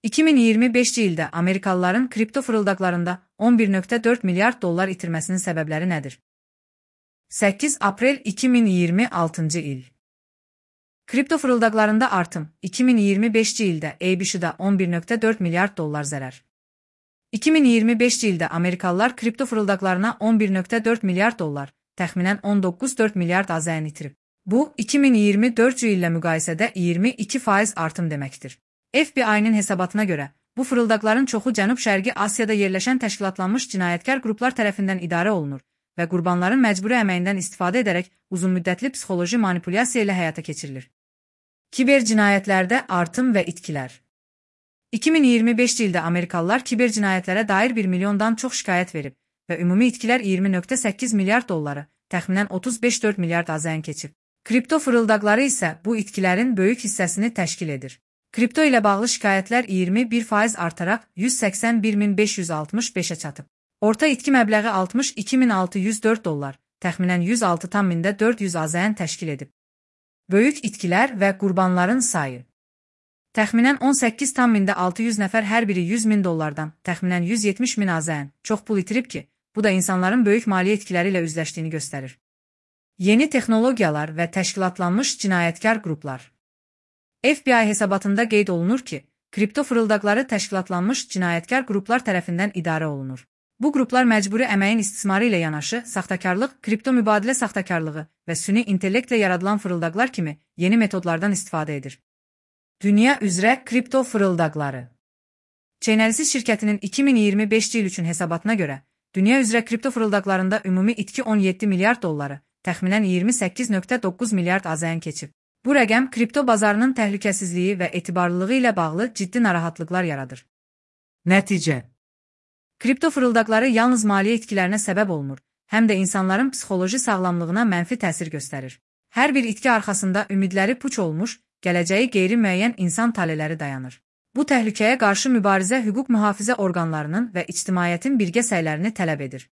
2025-ci ildə Amerikalıların kripto fırıldaqlarında 11,4 milyard dollar itirməsinin səbəbləri nədir? 8 aprel 2026-cı il. Kripto fırıldaqlarında artım 2025-ci ildə ABC-da 11,4 milyard dollar zərər. 2025-ci ildə Amerikalılar kripto fırıldaqlarına 11,4 milyard dollar, təxminən 19,4 milyard AZN itirib. Bu, 2024-cü illə müqayisədə 22% artım deməkdir. FBI-nin hesabatına görə, bu fırıldaqların çoxu Cənub-Şərqi Asiyada yerləşən təşkilatlanmış cinayətkar qruplar tərəfindən idarə olunur və qurbanların məcburi əməyindən istifadə edərək uzunmüddətli psixoloji manipulyasiya ilə həyata keçirilir. Kiber cinayətlərdə artım və itkilər. 2025-ci ildə Amerikalılar kiber cinayətlərə dair 1 milyondan çox şikayət verib və ümumi itkilər 20,8 milyard dolları, təxminən 35,4 milyard AZN keçib. Kripto fırıldaqları isə bu itkilərin böyük hissəsini təşkil edir. Kripto ilə bağlı şikayətlər 21% artaraq 181.565-ə çatıb. Orta itki məbləği 62.604 dollar, təxminən 106,400 AZN təşkil edib. Böyük itkilər və qurbanların sayı. Təxminən 18,600 nəfər hər biri 100.000 dollardan, təxminən 170.000 AZN çox pul itirib ki, bu da insanların böyük maliyyə itkiləri ilə üzləşdiyini göstərir. Yeni texnologiyalar və təşkilatlanmış cinayətkar qruplar. FBI hesabatında qeyd olunur ki, kripto fırıldaqları təşkilatlanmış cinayətkar qruplar tərəfindən idarə olunur. Bu qruplar məcburi əməyin istismarı ilə yanaşı, saxtakarlıq, kripto mübadilə saxtakarlığı və süni intellektlə yaradılan fırıldaqlar kimi yeni metodlardan istifadə edir. Dünya üzrə kripto fırıldaqları. Chainalysis şirkətinin 2025-ci il üçün hesabatına görə, dünya üzrə kripto fırıldaqlarında ümumi itki 17 milyard dolları, təxminən 28,9 milyard AZN keçib. Bu rəqəm kripto bazarının təhlükəsizliyi və etibarlılığı ilə bağlı ciddi narahatlıqlar yaradır. Nəticə. Kripto fırıldaqları yalnız maliyyə itkilərinə səbəb olmur, həm də insanların psixoloji sağlamlığına mənfi təsir göstərir. Hər bir itki arxasında ümidləri puç olmuş, gələcəyi qeyri-müəyyən insan taleləri dayanır. Bu təhlükəyə qarşı mübarizə hüquq mühafizə orqanlarının və ictimaiyyətin birgə səylərini tələb edir.